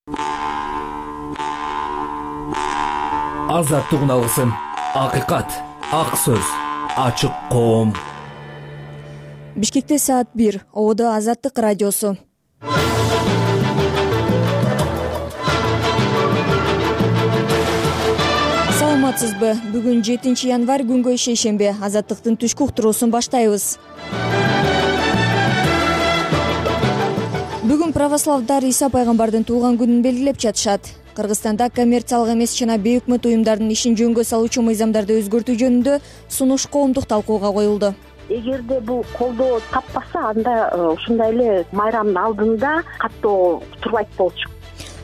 Азаттык алгысын, акыйкат, ак сөз, ачык коом. Бишкекте саат 1. Ободо Азаттык радиосу. Саламатсызбы? Бүгүн 7 январь күнгө шейшембе. Азаттыктын түшкү уктуруусун баштайбыз. Бүгүн православдар Иса пайгамбардын туулган күнүн белгилеп жатышат. Кыргызстанда коммерциялык эмес жана бейөкмөт уюмдардын ишин жөнгө салуучу мыйзамдарды өзгөртүү жөнүндө сунуш коомдук талкууга коюлду. Эгерде бул колдоо таппаса, анда ушундай эле майрамдын алдында каттоо турбайт болчу.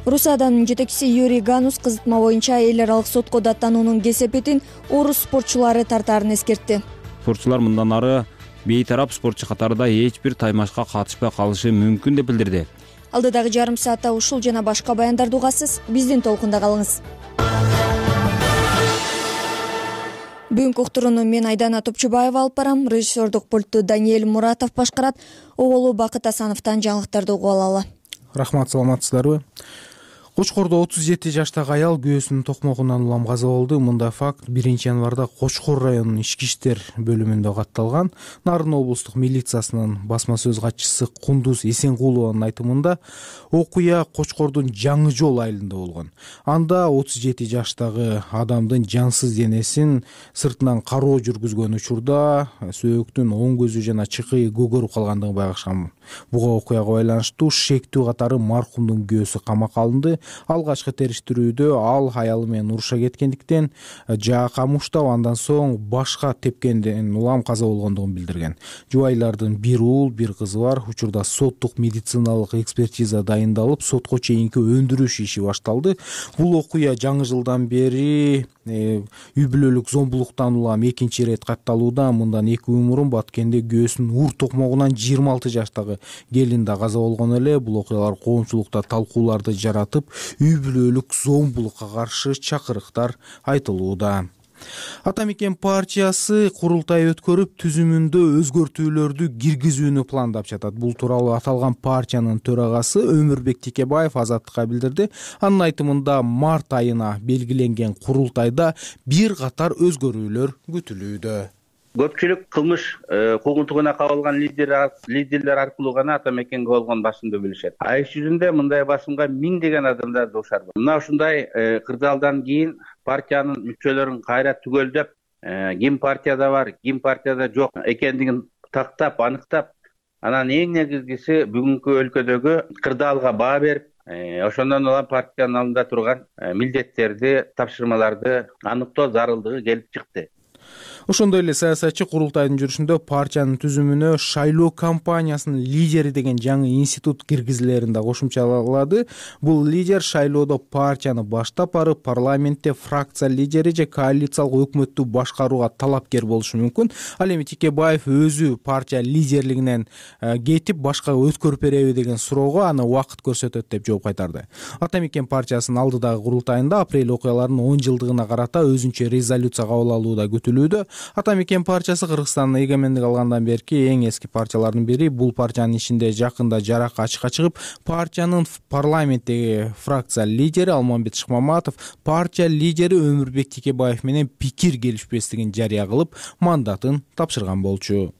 Русияданын жетекчиси Юрий Ганус кызытма боюнча эл аралык сотко даттануунун кесепетин орус спортчулары тартаарын эскертти. Спортчулар мындан ары бейтарап спортчу катарында эч бир таймашка катышпай калышы мүмкүн деп билдирди. Алдыдагы жарым саатта ушул жана башка баяндарды угасыз. Биздин толкунда калыңыз. Бүгүнкү уктурууну мен Айдана Топчубаева алып барам. Режиссердук пультту Даниэль Муратов башкарат. Оголу Бакыт Асановдон жаңылыктарды угуп алалы. Рахмат, саламатсыздарбы? Кочкордо 37 жаштагы аял күйөөсүнүн токмогунан улам каза болду. Мындай факт 1 январда Кочкор районунун ички иштер бөлүмүндө катталган. Нарын облустук милициясынын басма сөз катчысы Кундуз Эсенкулованын айтымында окуя Кочкордун Жаңы жол айылында болгон. Анда 37 жаштагы адамдын жансыз денесин сыртынан кароо жүргүзгөн учурда сөөктүн оң көзү жана чыкыйы көгөрүп калгандыгын байкашкан. Буга окуяга байланыштуу шектүү катары маркумдун күйөөсү камакка алынды. Алгачкы териштирүүдө ал аялы менен уруша кеткендиктен жаакка муштап, андан соң башка тепкенден улам каза болгондугун билдирген. Жубайлардын бир уул, бир кызы бар. Учурда соттук медициналык экспертиза дайындалып, сотко чейинки өндүрүш иши башталды. Бул окуя жаңы жылдан бери үй бүлөлүк зомбулуктан улам экинчи ирет катталууда. Мындан 2 үй мурун Баткенде күйөөсүнүн ур токмогунан 26 жаштагы келин да каза болгон эле. Бул окуялар коомчулукта талкууларды жаратып, үй бүлөлүк зомбулукка каршы чакырыктар айтылууда. Ата мекен партиясы курултай өткөрүп, түзүмүндө өзгөртүүлөрдү киргизүүнү пландап жатат. Бул тууралуу аталган партиянын төрагасы Өмүрбек Текебаев Азаттыкка билдирди. Анын айтымында март айына белгиленген курултайда бир катар өзгөрүүлөр күтүлүүдө. Көпчүлүк кылмыш куугунтугуна кабылган лидерлер аркылуу гана ата мекенге болгон басымды билишет. Иш жүзүндө мындай басымга миңдеген адамдар дуушар. Мына ушундай кырдаалдан кийин партиянын мүчөлөрүн кайра түгөлдөп, ким партияда бар, ким партияда жок экендигин тактап, аныктап, анан эң негизгиси бүгүнкү өлкөдөгү кырдаалга баа берип, ошондон улам партиянын алдында турган милдеттерди, тапшырмаларды аныктоо зарылдыгы келип чыкты. Ошондой эле саясатчы курултайдын жүрүшүндө партиянын түзүмүнө шайлоо кампаниясынын лидери деген жаңы институт киргизилерин да кошумчалады. Бул лидер шайлоодо партияны баштап барып, парламентте фракция лидери же коалициялык өкмөттү башкарууга талапкер болушу мүмкүн. Ал эми Текебаев өзү партия лидерлигинен кетип, башка өткөрүп береби деген суроого аны убакыт көрсөтөт деп жооп кайтарды. Ата мекен партиясынын алдыдагы курултайында апрель окуяларынын 10 жылдыгына карата өзүнчө резолюция кабыл алуу да күтүлүүдө. Ата мекен партиясы Кыргызстандын эгемендик алгандан берки эң эски партиялардын бири. Бул партиянын ичинде жакында жаракка ачыкка чыгып, партиянын парламенттеги фракция лидери Алмамбет Шыкмаматов партия лидери Өмүрбек Текебаев менен пикир келишпестигин жарыя кылып, мандатын тапшырган болчу.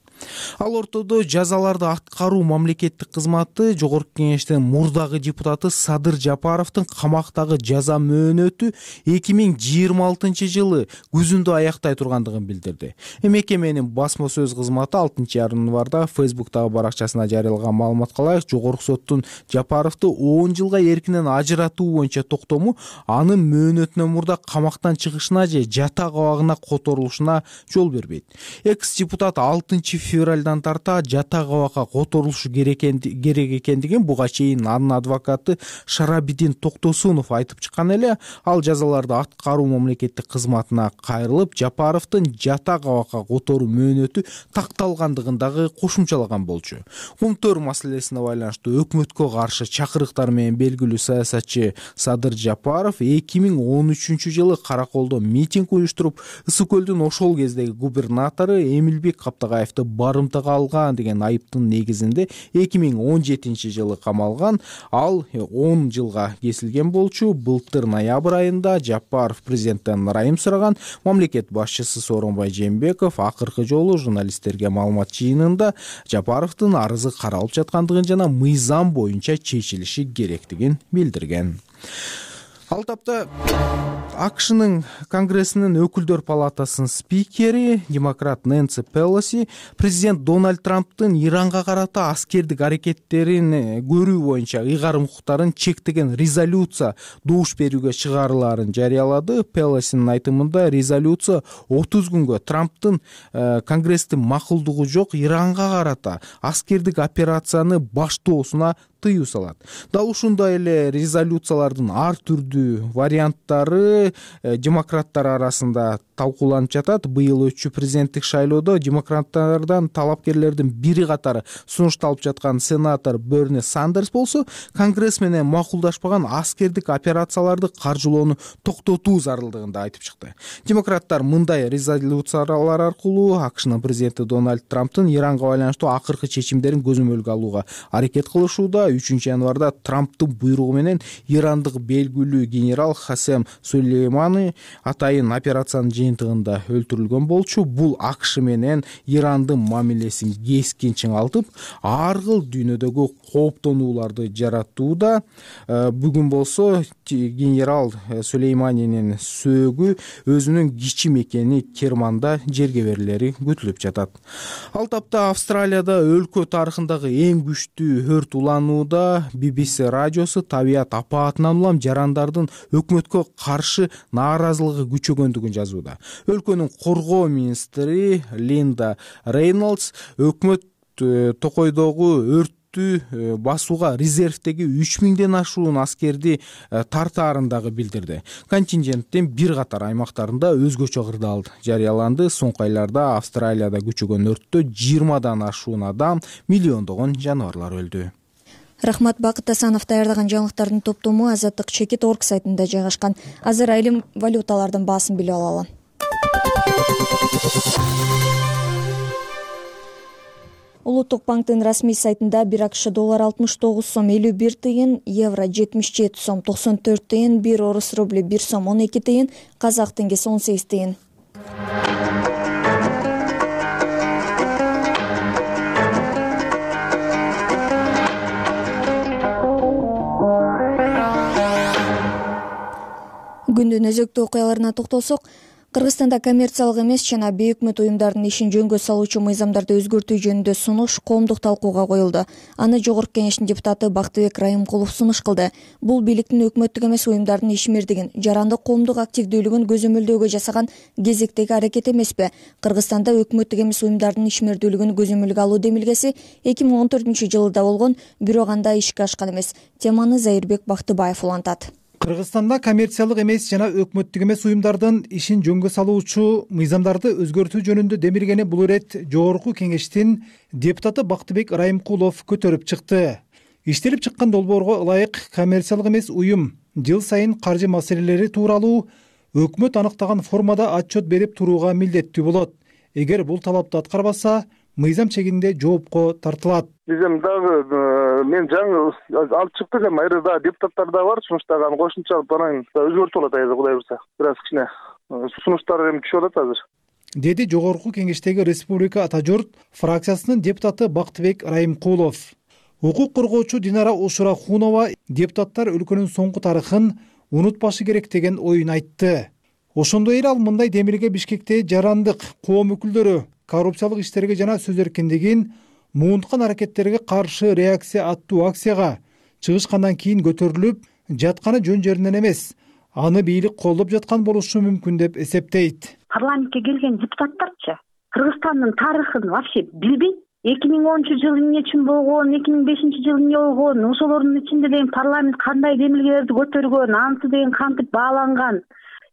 Ал ортодо жазаларды аткаруу мамлекеттик кызматы Жогорку Кеңештин мурдагы депутаты Садыр Жапаровдун камактагы жаза мөөнөтү 2026 жылы күзүндө аяктай тургандыгын билдирди. Мекеменин басма сөз кызматы 6 январда Facebook'тагы баракчасына жарыялган маалыматка ылайык, Жогорку соттун Жапаровду 10 жылга эркинен ажыратуу боюнча токтому анын мөөнөтүнөн мурда камактан чыгышына же жата кабагына которулушуна жол бербейт. Экс-депутат 6 февралдан тарта жата кабакка которулушу керек экендигин буга чейин анын адвокаты Шарабидин Токтосунов айтып чыккан эле. Ал жазаларды аткаруу мамлекеттик кызматына кайрылып, Жапаровдун жата кабакка которуу мөөнөтү такталгандыгын дагы кошумчалаган болчу. Кумтөр маселесине байланыштуу өкмөткө каршы чакырыктар менен белгилүү саясатчы Садыр Жапаров 2013 жылы Караколдо митинг уюштуруп, Ысык көлдүн ошол кездеги губернатору Эмилбек Каптагаевди барымтага алган деген айыптын негизинде 2017-жылы камалган. Ал 10 жылга кесилген болчу. Былтыр ноябрь айында Жапаров президенттен ырайым сураган. Мамлекет башчысы Сооронбай Жээнбеков акыркы жолу журналисттерге маалымат жыйынында Жапаровдун арызы каралып жаткандыгын жана мыйзам боюнча чечилиши керектигин билдирген. Ал тапта АКШнын Конгрессинин өкүлдөр палатасынын спикери демократ Нэнси Пелоси президент Дональд Трамптын Иранга карата аскердик аракеттерин көрүү боюнча ыйгарым укуктарын чектеген резолюция добуш берүүгө чыгарылаарын жарыялады. Пелосинин айтымында резолюция 30 күнгө Трамптын Конгресстин макулдугу жок Иранга карата аскердик операцияны баштоосуна тыюу салат. Дал ушундай эле резолюциялардын ар түрдүү варианттары демократтар арасында талкууланып жатат. Быйыл өтчү президенттик шайлоодо демократтардан талапкерлердин бири катары сунушталып жаткан сенатор Берни Сандерс болсо, Конгресс менен макулдашпаган аскердик операцияларды каржылоону токтотуу зарылдыгында айтып чыкты. Демократтар мындай резолюциялар аркылуу АКШнын президенти Дональд Трамптын Иранга байланыштуу акыркы чечимдерин көзөмөлгө алууга аракет кылышууда. 3 январда Трамптын буйругу менен ирандык белгилүү генерал Хасем Сулеймани атайын операциянын жыйынтыгында өлтүрүлгөн болчу. Бул АКШ менен Ирандын мамилесин кескин чыңалтып, ар кыл дүйнөдөгү кооптонууларды жаратууда. Бүгүн болсо генерал Сулейманинин сөөгү өзүнүн кичи мекени Керманда жерге берилери күтүлүп жатат. Ал тапта Австралияда өлкө тарыхындагы эң күчтүү өрт уланууда. BBC радиосу табият апаатынан улам жарандардын өкмөткө каршы нааразылыгы күчөгөндүгүн жазууда. Өлкөнүн коргоо министри Линда Рейнолдс өкмөт токойдогу өрттү басууга резервдеги 3000ден ашуун аскерди тартаарын дагы билдирди. Контингенттин бир катар аймактарында өзгөчө кырдаал жарыяланды. Соңку айларда Австралияда күчөгөн өрттө 20дан ашуун адам, миллиондогон жаныбарлар өлдү. Рахмат. Бакыт Асанов даярдаган жаңылыктардын топтому Азаттык Чекит.org сайтында жайгашкан. Азыр айрым валюталардын баасын билип алалы. Улуттук банктын расмий сайтында 1 АКШ доллар 69 сом 51 тыйын, евро 77 сом 94 тыйын, 1 орус рубли 1 сом 12 тыйын, казак теңгеси 18 тыйын. Күндүн өзөктүү окуяларына токтолсок, Кыргызстанда коммерциялык эмес жана бейөкмөт уюмдардын ишин жөнгө салуучу мыйзамдарды өзгөртүү жөнүндө сунуш коомдук талкууга коюлду. Аны Жогорку Кеңештин депутаты Бактыбек Райымкулов сунуш кылды. Бул бийликтин өкмөттүк эмес уюмдардын ишмердигин, жарандык коомдук активдүүлүгүн көзөмөлдөөгө жасаган кезектеги аракет эмеспи? Кыргызстанда өкмөттүк эмес уюмдардын ишмердүүлүгүн көзөмөлгө алуу демилгеси 2014-жылда болгон, бирок анда ишке ашкан эмес. Теманы Зайырбек Бактыбаев улантат. Кыргызстанда коммерциялык эмес жана өкмөттүк эмес уюмдардын ишин жөнгө салуучу мыйзамдарды өзгөртүү жөнүндө демилгени бул ирет Жогорку Кеңештин депутаты Бактыбек Райымкулов көтөрүп чыкты. Иштелип чыккан долбоорго ылайык коммерциялык эмес уюм жыл сайын каржы маселелери тууралуу өкмөт аныктаган формада отчет берип турууга милдеттүү болот. Эгер бул талапты аткарбаса, мыйзам чегинде жоопко тартылат. Биз эми дагы мен жаңы алып чыктык, эми айры да депутаттар да бар, сунуштаган кошумча алып анан өзгөртүп алат айры Кудай буйрса. Бир аз кичине сунуштар эми түшүп атат азыр. Деди Жогорку Кеңештеги Республика Ата журт фракциясынын депутаты Бактыбек Райымкулов. Укук коргоочу Динара Ушурахунова депутаттар өлкөнүн соңку тарыхын унутпашы керек деген оюн айтты. Ошондой эле ал мындай демилге Бишкекте жарандык коом өкүлдөрү коррупциялык иштерге жана сөз эркиндигин муунткан аракеттерге каршы реакция аттуу акцияга чыгышкандан кийин көтөрүлүп жатканы жөн жеринен эмес, аны бийлик колдоп жаткан болушу мүмкүн деп эсептейт. Парламентке келген депутаттарчы Кыргызстандын тарыхын вообще билбейт. 2010-жылы эмне үчүн болгон, 2005-жылы эмне болгон, ошолордун ичинде деген парламент кандай демилгелерди көтөргөн, анысы деген кантип бааланган.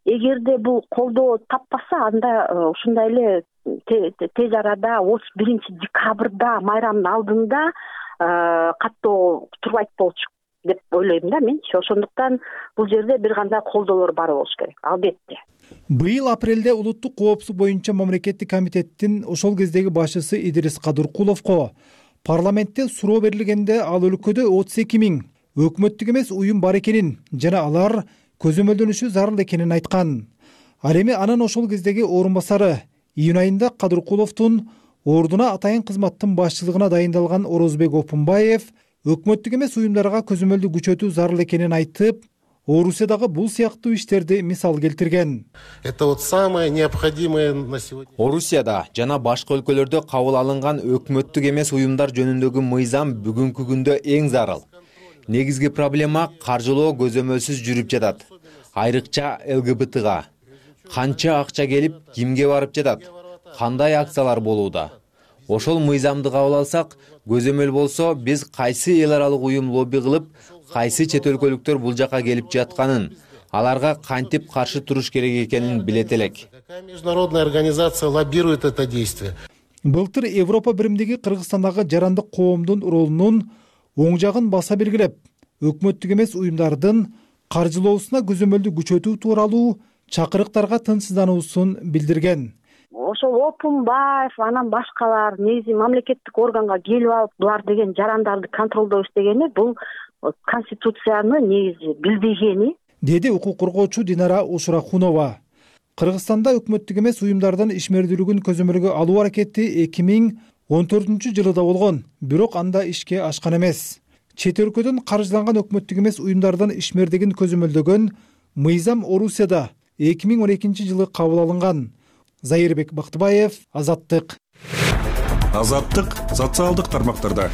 Эгерде бул колдоо таппаса, анда ушундай эле тез арада 31-декабрда майрамдын алдында каттоо турбайт болчу. деп ойлойм да менчи. Ошондуктан бул жерде бир кандай колдоолор бар болуш керек, албетте. Быйыл апрелде улуттук коопсуздук боюнча мамлекеттик комитеттин ошол кездеги башчысы Идирис Кадыркуловго парламентте суроо берилгенде ал өлкөдө 32 000 өкмөттүк эмес уюм бар экенин жана алар көзөмөлдөнүшү зарыл экенин айткан. Ал эми анын ошол кездеги орун басары июнь айында Кадыркуловдун ордуна атайын кызматтын башчылыгына дайындалган Орозбек Опунбаев өкмөттүк эмес уюмдарга көзөмөлдү күчөтүү зарыл экенин айтып, Орусиядагы бул сыяктуу иштерди мисал келтирген. Это вот самое необходимое на сегодня. Орусияда жана башка өлкөлөрдө кабыл алынган өкмөттүк эмес уюмдар жөнүндөгү мыйзам бүгүнкү күндө эң зарыл. Негизги проблема каржылоо көзөмөлсүз жүрүп жатат. Айрыкча ЛГБТга канча акча келип, кимге барып жатат, кандай акциялар болууда. Ошол мыйзамды кабыл алсак, көзөмөл болсо, биз кайсы эл аралык уюм лобби кылып, кайсы чет өлкөлүктөр бул жака келип жатканын, аларга кантип каршы туруш керек экенин билет элек. Какая международная организация лоббирует это действие? Былтыр Европа биримдиги Кыргызстандагы жарандык коомдун ролунун оң жагын баса белгилеп, өкмөттүк эмес уюмдардын каржылоосуна көзөмөлдү күчөтүү тууралуу чакырыктарга тынчсыздануусун билдирген. Ошол Опунбаев анан башкалар негизи мамлекеттик органга келип алып булар деген жарандарды контролдоо иштегени бул конституцияны негизи билбегени, деди укук коргоочу Динара Ушурахунова. Кыргызстанда өкмөттүк эмес уюмдардын ишмердүүлүгүн көзөмөлгө алуу аракети 2014 жылыда болгон, бирок анда ишке ашкан эмес. Чет өлкөдөн каржыланган өкмөттүк эмес уюмдардын ишмердигин көзөмөлдөгөн мыйзам Орусияда 2012 жылы кабыл алынган. Зайырбек Бактыбаев, Азаттык. Азаттык социалдык тармактарда.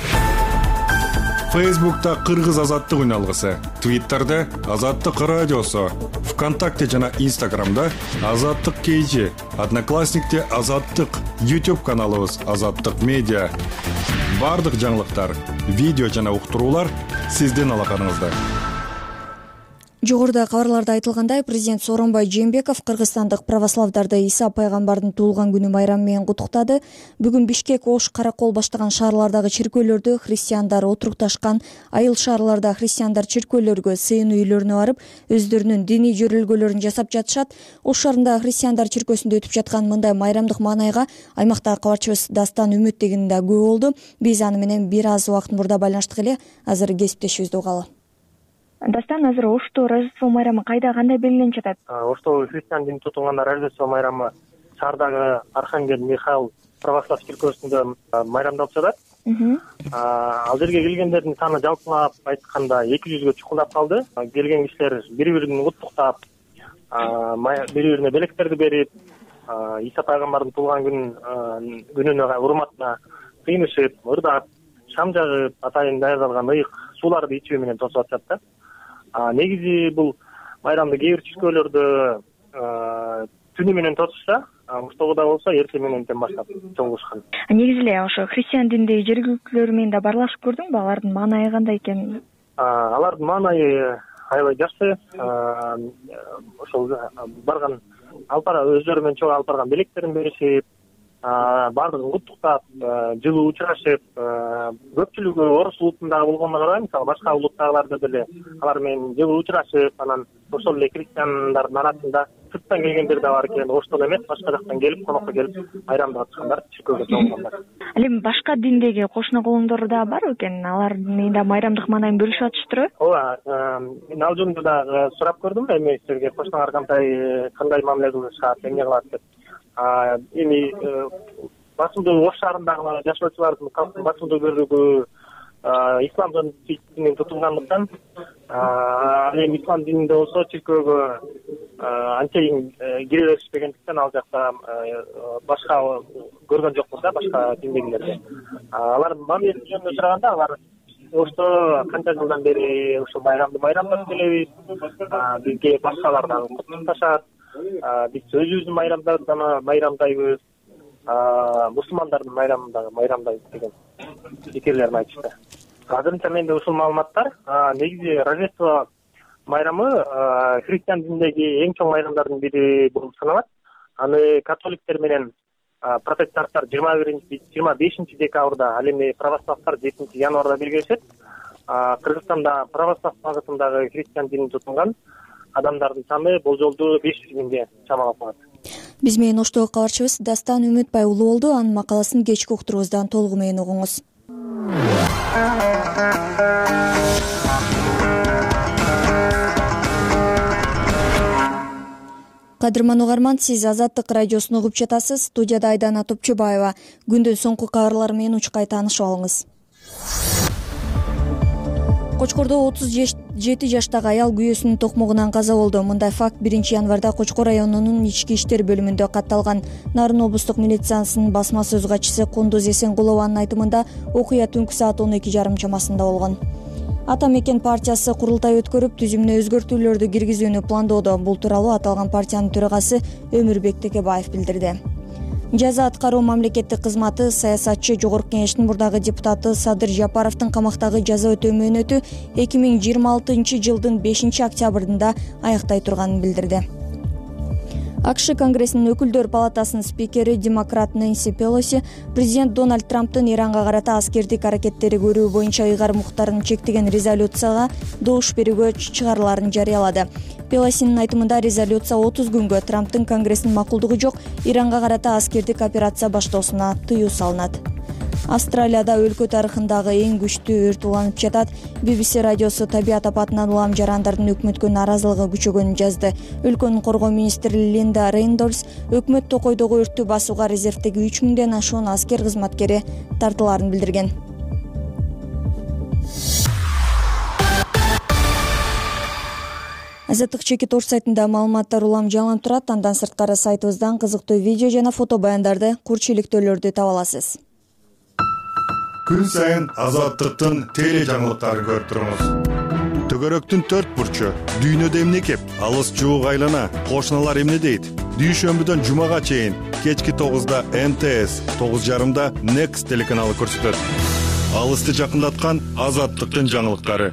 Фейсбукта Кыргыз Азаттык үналгысы, Твиттерде Азаттык радиосу, ВКонтакте жана Инстаграмда Азаттык KG, Одноклассникте Азаттык, YouTube каналыбыз Азаттык медиа. Бардык жаңылыктар, видео жана уктуруулар сиздин алаканыңызда. Жогоруда кабарларда айтылгандай, президент Сооронбай Жээнбеков кыргызстандык православдарды Иса пайгамбардын туулган күнү майрамы менен куттуктады. Бүгүн Бишкек, Ош, Каракол баштаган шаарлардагы чиркөөлөрдө христиандар отурукташкан. Айыл шаарларда христиандар чиркөөлөргө, сыйынуу үйлөрүнө барып, өздөрүнүн диний жөрөлгөлөрүн жасап жатышат. Ош шаарындагы христиандар чиркөөсүндө өтүп жаткан мындай майрамдык маанайга аймактагы кабарчыбыз Дастан Үмүттегин да күбө болду. Биз аны менен бир аз убакыт мурда байланыштык эле. Азыр кесиптешибизди угалы. Дастан, азыр Ошто Рождество майрамы кайда, кандай белгиленип жатат? Ошто христиан динин тутунганда Рождество майрамы шаардагы Архангел Михаил православ чиркөөсүндө майрамдалып жатат. Ал жерге келгендердин саны жалпылап айтканда 200гө чукулдап калды. Келген кишилер бири-бирин куттуктап, бири-бирине белектерди берип, Иса пайгамбардын туулган күнүнө урматына кыйнышып, ырдап, шам жагып, атайын даярдалган ыйык сууларды ичүү менен тосуп атышат да. Негизи бул майрамды кээ бир чиркөөлөрдө түнү менен тосушса, Оштогуда болсо эртең мененден баштап чогулушкан. Негизи эле ошо христиан диндеги жергиликтүүлөр менен да баарлашып көрдүңбү? Алардын маанайы кандай экен? Алардын маанайы аябай жакшы. Ошол барган өздөрү менен чогуу алып барган белектерин беришип, баардыгын куттуктап, жылуу учурашып, көпчүлүгү орус улутундагы болгонуна карабай, мисалы башка улуттагыларды деле алар менен жылуу учурашып, анан ошол эле христиандардын арасында сырттан келгендер да бар экен, Оштон эмес, башка жактан келип, конокко келип, майрамды катышкандар, чиркөөгө чогулгандар. Ал эми башка диндеги кошуна колуңдор да барбы экен? Алар менен да майрамдык маанайын бөлүшүп атыштырбы? Ооба, мен ал жөнүндө да сурап көрдүм, эми силерге кошуналар кандай мамиле кылышат, эмне кылат деп. Эми басымдуу Ош шаарындагы жашоочулардын калктын басымдуу бөлүгү ислам динин тутунгандыктан, ал эми ислам дининде болсо чиркөөгө анчейин кире беришпегендиктен ал жакта башка көргөн жокпуз да, башка диндегилерди. Алардын мамилеси жөнүндө сураганда, алар Ошто канча жылдан бери ушул майрамды майрамдап келебиз, бизге башкалар дагы куттукташат. Биз өзүбүздүн майрамдарды майрамдайбыз, мусулмандардын майрамын дагы майрамдайбыз деген пикирлерин айтышты. Азырынча менде ушул маалыматтар. Негизи Рождество майрамы христиан дининдеги эң чоң майрамдардын бири болуп саналат. Аны католиктер менен протестанттар 25 декабрда, ал эми православдар 7 январда белгилешет. Кыргызстанда православ багытындагы христиан динин тутунган адамдардын саны болжолдуу 500 миңге чамалап калат. Биз менен оштогу кабарчыбыз Дастан Үмүтбай уулу болду. Анын макаласын кечки уктурубуздан толугу менен угуңуз. Кадырман угарман, сиз Азаттык радиосун угуп жатасыз. Студияда Айдана Топчубаева. Күндүн соңку кабарлары менен учкай таанышып алыңыз. Кочкордо 37 жаштагы аял күйөөсүнүн токмогунан каза болду. Мындай факт 1-январда Кочкор районунун ички иштер бөлүмүндө катталган. Нарын облустук милициясынын басма сөз катчысы Кундуз Эсенгулованын айтымында окуя түнкү саат 12:30 чамасында болгон. Ата мекен партиясы курултай өткөрүп, түзүмүнө өзгөртүүлөрдү киргизүүнү пландоодо. Бул тууралуу аталган партиянын төрагасы Өмүрбек Текебаев билдирди. Жаза аткаруу мамлекеттик кызматы саясатчы Жогорку Кеңештин мурдагы депутаты Садыр Жапаровдун камактагы жаза өтөө мөөнөтү 2026 жылдын 5-октябрында аяктай турганын билдирди. АКШ Конгрессинин өкүлдөр палатасынын спикери демократ Нэнси Пелоси президент Дональд Трамптын Иранга карата аскердик аракеттери көрүү боюнча ыйгарым укуктарын чектеген резолюцияга добуш берүүгө чыгарыларын жарыялады. Пелосинин айтымында резолюция 30 күнгө Трамптын Конгресстин макулдугу жок Иранга карата аскердик операция баштоосуна тыюу салынат. Австралияда өлкө тарыхындагы эң күчтүү өрт уланып жатат. BBC радиосу табият апатынан улам жарандардын өкмөткө нааразылыгы күчөгөнүн жазды. Өлкөнүн коргоо министри Линда Рейндольс өкмөт токойдогу өрттү басууга резервдеги 3000ден ашуун аскер кызматкери тартылаарын билдирген. Азаттык чекит орус сайтында маалыматтар улам жаңылып турат. Андан сырткары сайтыбыздан кызыктуу видео жана фото баяндарды, курчиликтөөлөрдү таба аласыз. Күн сайын Азаттыктын теле жаңылыктарын көрүп туруңуз. Төгөрөктүн 4 бурчу, дүйнөдө эмне кеп, алыс жуук айлана, кошуналар эмне дейт? Дүйшөмбүдөн жумага чейин кечки 9да МТС, 9:30да Next телеканалы көрсөтөт. Алысты жакындаткан Азаттыктын жаңылыктары.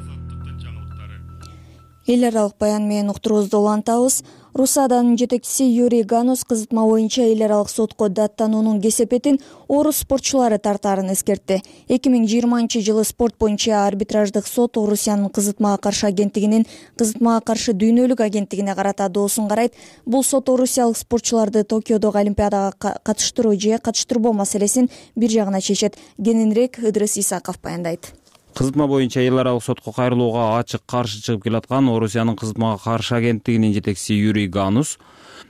Эл аралык баян менен уктуруубузду улантабыз. Русаданын жетекчиси Юрий Ганус кызытма боюнча эл аралык сотко даттануунун кесепетин орус спортчулары тартаарын эскертти. 2020 жылы спорт боюнча арбитраждык сот Орусиянын кызытмага каршы агенттигинин кызытмага каршы дүйнөлүк агенттигине карата доосун карайт. Бул сот орусиялык спортчуларды Токиодогу Олимпиадага катыштыруу же катыштырбоо маселесин бир жагына чечет. Кененирээк Ыдрыс Исаков баяндайт. Кызытма боюнча эл аралык сотко кайрылууга ачык каршы чыгып келаткан Орусиянын кызытмага каршы агенттигинин жетекчиси Юрий Ганус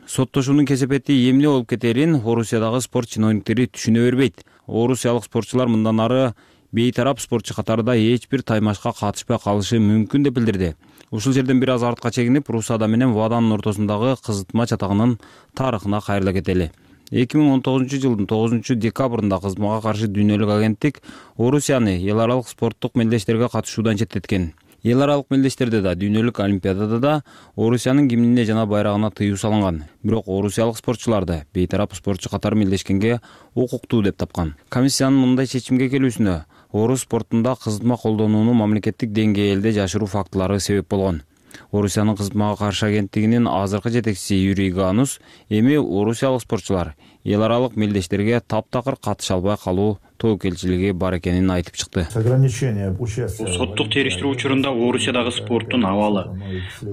соттошуунун кесепети эмне болуп кетерин Орусиядагы спорт чиновниктери түшүнө бербейт. Орусиялык спортчулар мындан ары бейтарап спортчу катарында эч бир таймашка катышпай калышы мүмкүн деп билдирди. Ушул жерден бир аз артка чегинип, Русада менен ВАДАнын ортосундагы кызытма чатагынын тарыхына кайрыла кетели. 2019 жылдын 9 декабрында кызытмага каршы дүйнөлүк агенттик Орусияны эл аралык спорттук мелдештерге катышуудан четтеткен. Эл аралык мелдештерде да, дүйнөлүк олимпиадада да Орусиянын гимнине жана байрагына тыюу салынган. Бирок орусиялык спортчуларды бейтарап спортчу катары мелдешкенге укуктуу деп тапкан. Комиссиянын мындай чечимге келүүсүнө орус спортунда кызытма колдонууну мамлекеттик деңгээлде жашыруу фактылары себеп болгон. Орусиянын кызытмага каршы агенттигинин азыркы жетекчиси Юрий Ганус эми орусиялык спортчулар эл аралык мелдештерге таптакыр катыша албай калуу тобокелчилиги бар экенин айтып чыкты. Соттук териштирүү учурунда Орусиядагы спорттун абалы,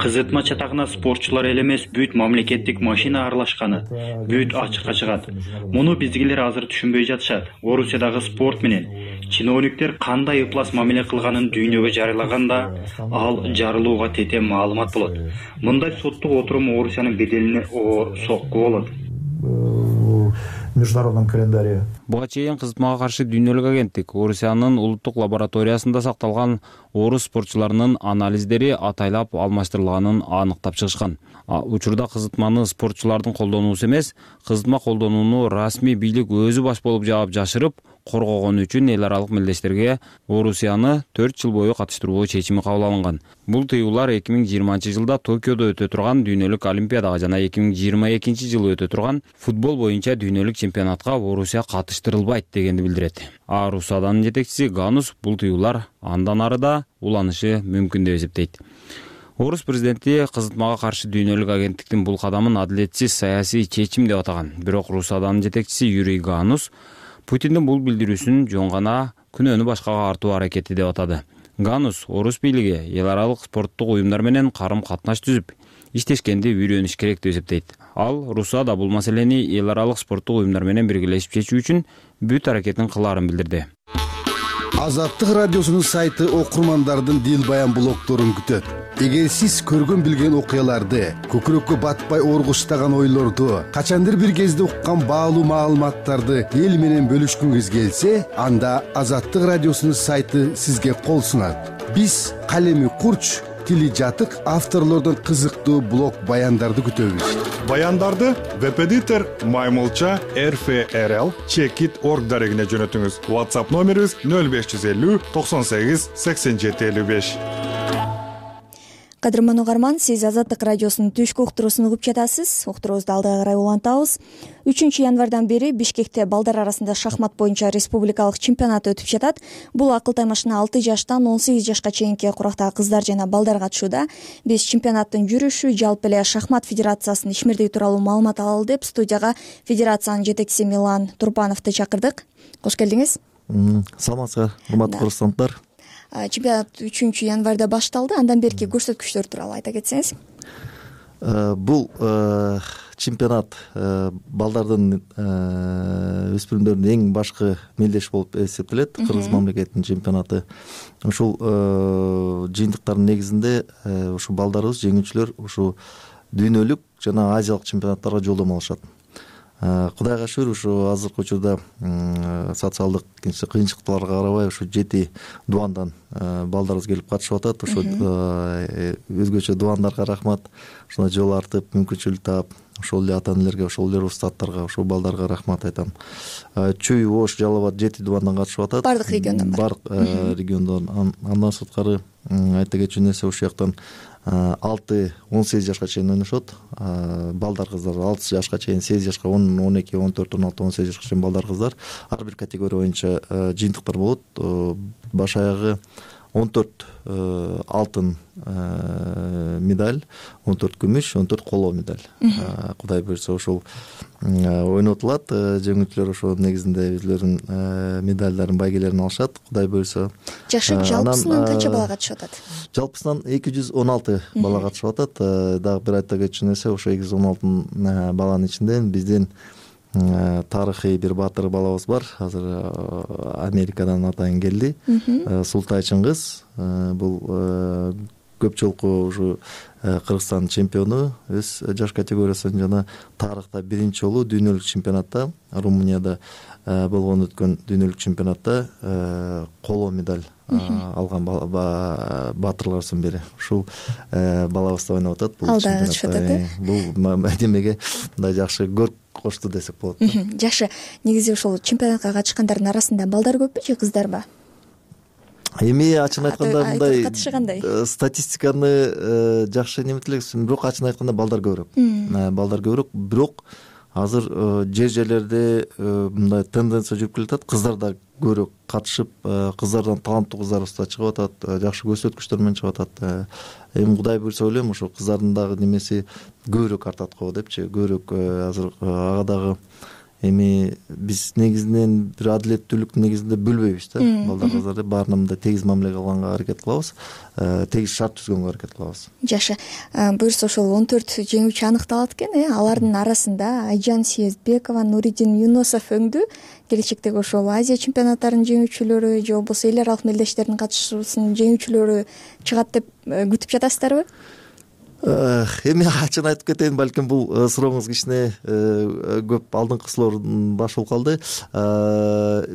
кызытма чатагына спортчулар эле эмес, бүт мамлекеттик машина аралашканы бүт ачыкка чыгат. Муну биздегилер азыр түшүнбөй жатышат. Орусиядагы спорт менен чиновниктер кандай ыплас мамиле кылганын дүйнөгө жарыялаганда, ал жарылууга тете маалымат болот. Мындай соттук отурум Орусиянын беделине оор сокку болот. Международном календаре. Буга чейин кызытмага каршы дүйнөлүк агенттик Орусиянын улуттук лабораториясында сакталган орус спортчуларынын анализдери атайлап алмаштырылганын аныктап чыгышкан. Учурда кызытманы спортчулардын колдонуусу эмес, кызытма колдонууну расмий бийлик өзү баш болуп жаап жашырып, коргогон үчүн эл аралык мелдештерге Орусияны 4 жыл бою катыштыруу чечими кабыл алынган. Бул тыюулар 2020 жылда Токиодо өтө турган дүйнөлүк олимпиадага жана 2022 жылы өтө турган футбол боюнча дүйнөлүк чемпионатка Орусия катыштырылбайт дегенди билдирет. Русаданын жетекчиси Ганус бул тыюулар андан ары да уланышы мүмкүн деп эсептейт. Орус президенти кызытмага каршы дүйнөлүк агенттиктин бул кадамын адилетсиз саясий чечим деп атаган. Бирок Русаданын жетекчиси Юрий Ганус Путиндин бул билдирүүсүн жөн гана күнөөнү башкага артуу аракети деп атады. Ганус орус бийлиги эл аралык спорттук уюмдар менен карым катнаш түзүп иштешкенди үйрөнүш керек деп эсептейт. Ал РУСА да бул маселени эл аралык спорттук уюмдар менен биргелешип чечүү үчүн бүт аракетин кылаарын билдирди. Азаттык радиосунун сайты окурмандардын дил баян блогдорун күтөт. Эгер сиз көргөн билген окуяларды, көкүрөккө батпай оргуштаган ойлорду, качандыр бир кезде уккан баалуу маалыматтарды эл менен бөлүшкүңүз келсе, анда Азаттык радиосунун сайты сизге кол сунат. Биз калеми курч, тили жатык авторлордон кызыктуу блог баяндарды күтөбүз. Баяндарды веб-эдитор Маймылча RFRL Checkit.org дарегине жөнөтүңүз. WhatsApp номерибиз 0550 98 87 55. Кадырман угарман, сиз Азаттык радиосунун түшкү уктуруусун угуп жатасыз. Уктуруубузду алдыга карай улантабыз. 3 январдан бери Бишкекте балдар арасында шахмат боюнча республикалык чемпионат өтүп жатат. Бул акыл таймашына 6 жаштан 18 жашка чейинки курактагы кыздар жана балдар катышууда. Биз чемпионаттын жүрүшү, жалпы эле шахмат федерациясынын ишмердиги тууралуу маалымат алалы деп студияга федерациянын жетекчиси Милан Турбановду чакырдык. Кош келдиңиз. Саламатсыздар, урматтуу кыргызстандыктар. Чемпионат 3 январда башталды. Андан берки көрсөткүчтөр тууралуу айта кетсеңиз. Бул чемпионат балдардын өспүрүмдөрдүн эң башкы мелдеш болуп эсептелет. Кыргыз мамлекетинин чемпионаты. Ушул жыйынтыктардын негизинде ушу балдарыбыз, жеңүүчүлөр ушу дүйнөлүк жана азиялык чемпионаттарга жолдомо алышат. Кудайга шүгүр, ушу азыркы учурда социалдык кыйынчылыктарга карабай ушу 7 дубандан балдарыбыз келип катышып атат. Ушу өзгөчө дубандарга рахмат. Ушундай жол артып, мүмкүнчүлүк таап, ошол эле ата-энелерге, ошол эле устаттарга, ошол балдарга рахмат айтам. Чүй, Ош, Жалал Абад 7 дубандан катышып атат. Бардык региондон бар. Бардык региондон. Андан сырткары айта кетчү нерсе ушул жактан 6-18 жашка чейин ойношот. Балдар кыздар 6 жашка чейин, 8 жашка, 10, 12, 14, 16, 18 жашка чейин балдар кыздар. Ар бир категория боюнча жыйынтыктар болот. Баш аягы 14 алтын медаль, 14 күмүш, 14 коло медаль. Кудай буйрса ошол ойнотулат. Жеңүүчүлөр ошол негизинде өзлөрүнүн медальдарын, байгелерин алышат. Кудай буйрса. Жашы жалпысынан канча бала катышып атат? Жалпысынан 216 бала катышып атат. Дагы бир айта кетчү нерсе, ошо 216 баланын ичинде биздин тарыхый бир баатыр балабыз бар. Азыр Америкадан атайын келди. Султай Чыңгыз. Бул көп жолку ушу Кыргызстандын чемпиону, өз жаш категориясында жана тарыхта биринчи жолу дүйнөлүк чемпионатта, Румынияда болгон өткөн дүйнөлүк чемпионатта коло медаль алган баатырларыбыздын бири. Ушул балабыз да ойноп атат бул чемпионатта. Бул демеге мындай жакшы көрк кошту десек болот. Жашы, негизи ошол чемпионатка катышкандардын арасында балдар көппү же кыздарбы? Эми ачык айтканда мындай катышы кандай? Статистиканы жакшы неметип элексиз, бирок ачык айтканда балдар көбүрөөк. Балдар көбүрөөк, бирок азыр жерлерде мындай тенденция жүрүп келатат. Кыздар да көбүрөөк катышып, кыздардан таланттуу кыздарыбыз да чыгып атат, жакшы көрсөткүчтөр менен чыгып атат. Эми Кудай буйрса ойлойм, ошо кыздардын дагы немеси көбүрөөк артат го депчи. Көбүрөөк азыр ага дагы эми биз негизинен бир адилеттүүлүктүн негизинде бөлбөйбүз да. Балдар кыздарды баарына мындай тегиз мамиле кылганга аракет кылабыз, тегиз шарт түзгөнгө аракет кылабыз. Жашы, буюрса ошол 14 жеңүүчү аныкталат экен, алардын арасында Айжан Съездбекова, Нуридин Юнусов өңдү. Келечектеги ошол Азия чемпионаттарынын жеңүүчүлөрү же болбосо эл аралык мелдештердин катышуусунун жеңүүчүлөрү чыгат деп күтүп жатасыздарбы? Эми ачык айтып кетейин, балким бул сурооңуз кичине көп алдыңкы суроолордун башы болуп калды.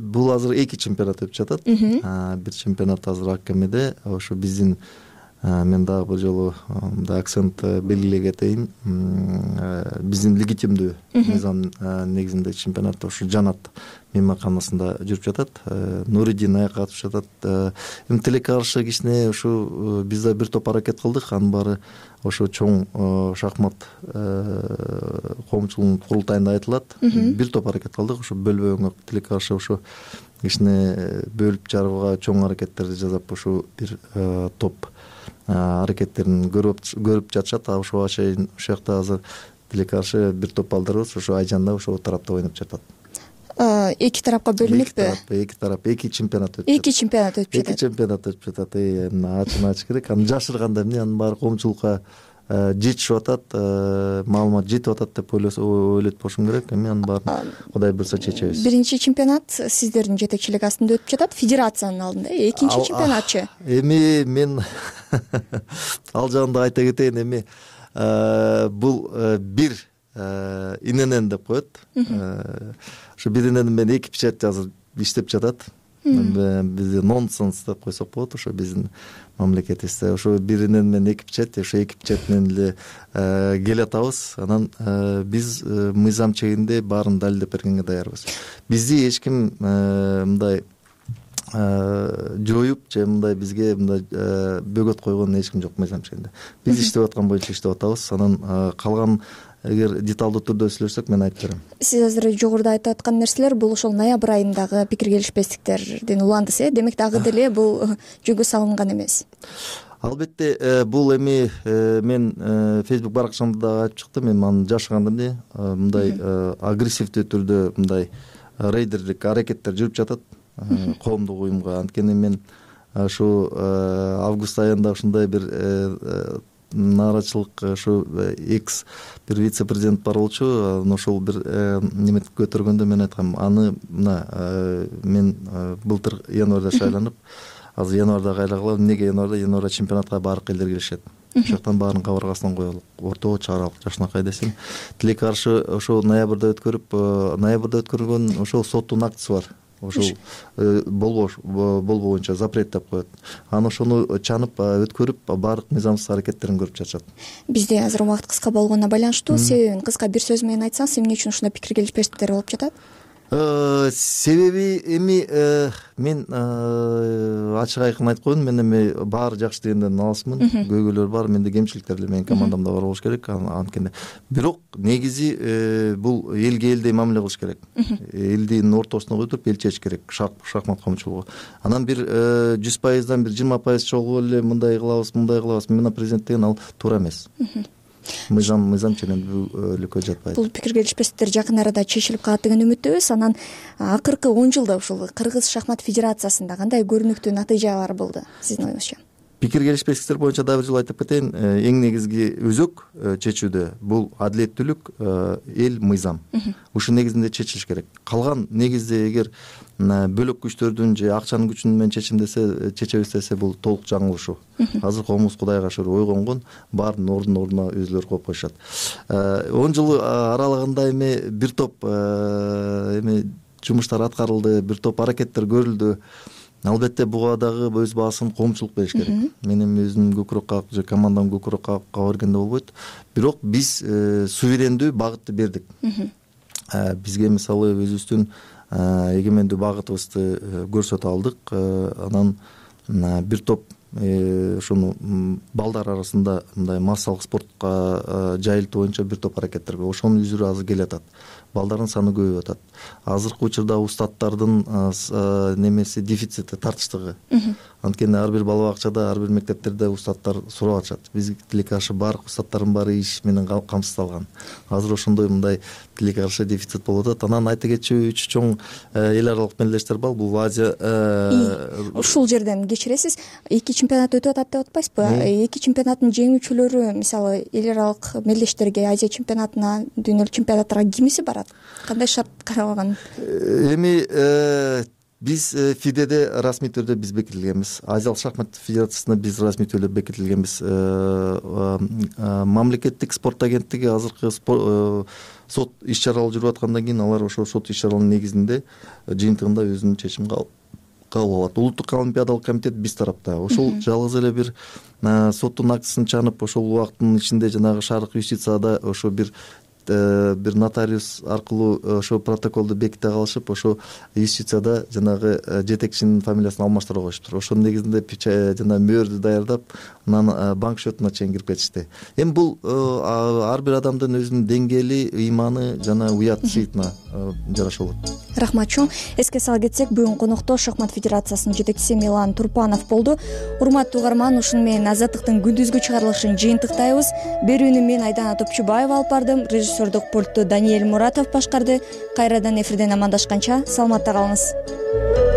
Бул азыр 2 чемпионат өтүп жатат. Бир чемпионат азыр Аккемеде, ошо биздин мен дагы бир жолу мындай акцент белгилей кетейин. Биздин легитимдүү мыйзам негизинде чемпионат ошо Жанат мейманканасында жүрүп жатат. Нуридин аяка катышып жатат. Эми тилекке каршы кичине ушу биз да бир топ аракет кылдык. Анын баары ошо чоң шахмат коомчулугунун курултайында айтылат. Бир топ аракет кылдык. Ошо бөлбөгөнгө тилекке каршы ошо кичине бөлүп жарууга чоң аракеттерди жасап ошо бир топ аракеттерин көрүп жатышат. Ошого чейин ушул жакта азыр тилекке каршы бир топ балдарыбыз ошо Айжанда ошол тарапта ойноп жатат. Эки тарапка бөлүнүппү? Эки тарап эки чемпионат өтүп жатат. Эки чемпионат өтүп жатат. Эки чемпионат өтүп жатат. Ачын ачыш керек. Аны жашырганда эмне, анын баары коомчулукка жетишип атат, маалымат жетип атат деп ойлойт болушум керек. Эми анын баарын Кудай буйрса чечебиз. Биринчи чемпионат сиздердин жетекчилик астында өтүп жатат, федерациянын алдында. Экинчи чемпионатчы? Эми мен ал жагында айта кетейин. Эми бул бир иненен деп коет. Ошо бир иненин менен эки печать азыр иштеп жатат. Бизде нонсенс деп койсок болот ошо биздин мамлекетибизде. Ошо бир инен менен эки печать, ошо эки печать менен эле келатабыз. Анан биз мыйзам чегинде баарын далилдеп бергенге даярбыз. Бизди эч ким мындай жоюп же мындай бизге мындай бөгөт койгон эч ким жок мыйзам чегинде. Биз иштеп аткан боюнча иштеп атабыз. Анан калган эгер деталдуу түрдө сүйлөшсөк мен айтып берем. Сиз азыр жогоруда айтып аткан нерселер бул ошол ноябрь айындагы пикир келишпестиктердин уландысы, демек дагы деле бул жөнгө салынган эмес. Албетте бул эми мен Facebook баракчамда дагы айтып чыктым. Мен аны жашыргандым эмне, мындай агрессивдүү түрдө мындай рейдерлик аракеттер жүрүп жатат коомдук уюмга. Анткени мен ушу август айында ушундай бир нааразычылык ушу экс бир вице-президент бар болчу. Ошол бир неме көтөргөндө мен айткам, аны мына мен былтыр январда шайланып, азыр январда кайлагыла. Эмнеге январда чемпионатка баардык элдер киришет. Ошол жактан баарын кабыргасынан коелук. Орточо аралык жашынакай десем, тилекке каршы ошол ноябрда өткөргөн ошол соттун актысы бар. Ошол болбогончо запрет деп коет. Аны ошону чанып өткөрүп баардык мыйзамсыз аракеттерин көрүп жатышат. Бизде азыр убакыт кыска болгонуна байланыштуу себебин кыска бир сөз менен айтсаңыз, эмне үчүн ушундай пикир келишпестиктер болуп жатат? Себеби эми мен ачык айкын айтып коеюн, мен эми баары жакшы дегенден алысмын. Көйгөйлөр бар, менде кемчиликтер деле менин командамда бар болуш керек. Анткени бирок негизи бул элге элдей мамиле кылыш керек. Элдин ортосуна коюп эл чечиш керек, шахмат коомчулугу. Анан бир 100%дан бир 20% чогуу эле мындай кылабыз, мына президент деген ал туура эмес. Мыйзам ченен өлкө жатпайт. Бул пикир келишпестиктер жакын арада чечилип калат деген үмүттөбүз. Анан акыркы 10 жылда ушул Кыргыз шахмат федерациясында кандай көрүнүктүү натыйжалар болду сиздин оюңузча? Пикир келишпестиктер боюнча дагы бир жолу айтып кетейин. Эң негизги өзөк чечүүдө бул адилеттүүлүк, эл, мыйзам. Ушул негизинде чечилиш керек. Калган негизде эгер бөлөк күчтөрдүн же акчанын күчү менен чечебиз десе бул толук жаңылышуу. Азыр коомубуз Кудайга шүгүр ойгонгон, баардын ордуна өзүлөрү коюп коюшат. 10 жыл аралыгында эми бир топ эми жумуштар аткарылды, бир топ аракеттер көрүлдү. Албетте буга дагы өз баасын коомчулук бериш керек. Мен эми өзүм көкүрөк кагып же командам көкүрөк кагып бергенде болбойт. Бирок биз суверендүү багытты бердик. Бизге мисалы өзүбүздүн эгемендүү багытыбызды көрсөтө алдык. Анан бир топ ошону балдар арасында мындай массалык спортко жайылтуу боюнча бир топ аракеттер бар. Ошонун үзүрү азыр келатат. Балдардын саны көбөйүп атат. Азыркы учурда устаттардын немеси дефицити, тартыштыгы. Анткени ар бир бала бакчада, ар бир мектептерде устаттар сурап атышат. Биз тилекке каршы баардык устаттардын баары иш менен камсыздалган. Азыр ошондой мындай тилекке каршы дефицит болуп атат. Анан айта кетчү үч чоң эл аралык мелдештер бар. Бул Азия. Ушул жерден кечиресиз, эки чемпионат өтүп атат деп атпайсызбы? Эки чемпионаттын жеңүүчүлөрү, мисалы, эл аралык мелдештерге, Азия чемпионатына, дүйнөлүк чемпионаттарга кимиси барат? Кандай шарт каралган? Эми биз ФИДЕде расмий түрдө биз бекитилгенбиз. Азиялык шахмат федерациясында биз расмий түрдө бекитилгенбиз. Мамлекеттик спорт агенттиги азыркы сот иш-чаралар жүрүп аткандан кийин алар ошол сот иш-чараларынын негизинде жыйынтыгында өзүнүн чечимин кабыл алат. Улуттук олимпиадалык комитет биз тарапта. Ошол жалгыз эле бир соттун актысын чанып, ошол убакыттын ичинде жанагы шаардык юстицияда ошо бир нотариус аркылуу ошо протоколду беките калышып, ошо юстицияда жанагы жетекчинин фамилиясын алмаштыра коюшуптур. Ошонун негизинде жана мөөрдү даярдап, анан банк счетуна чейин кирип кетишти. Эми бул ар бир адамдын өзүнүн деңгээли, ыйманы жана уят сыйтына жараша болот. Рахмат чоң. Эске сала кетсек, бүгүн конокто шахмат федерациясынын жетекчиси Милан Турпанов болду. Урматтуу угарман, ушуну менен Азаттыктын күндүзгү чыгарылышын жыйынтыктайбыз. Берүүнү мен Айдана Топчубаева алып бардым. режиссердук пультту Даниэль Муратов башкарды. Кайрадан эфирден амандашканча саламатта калыңыз.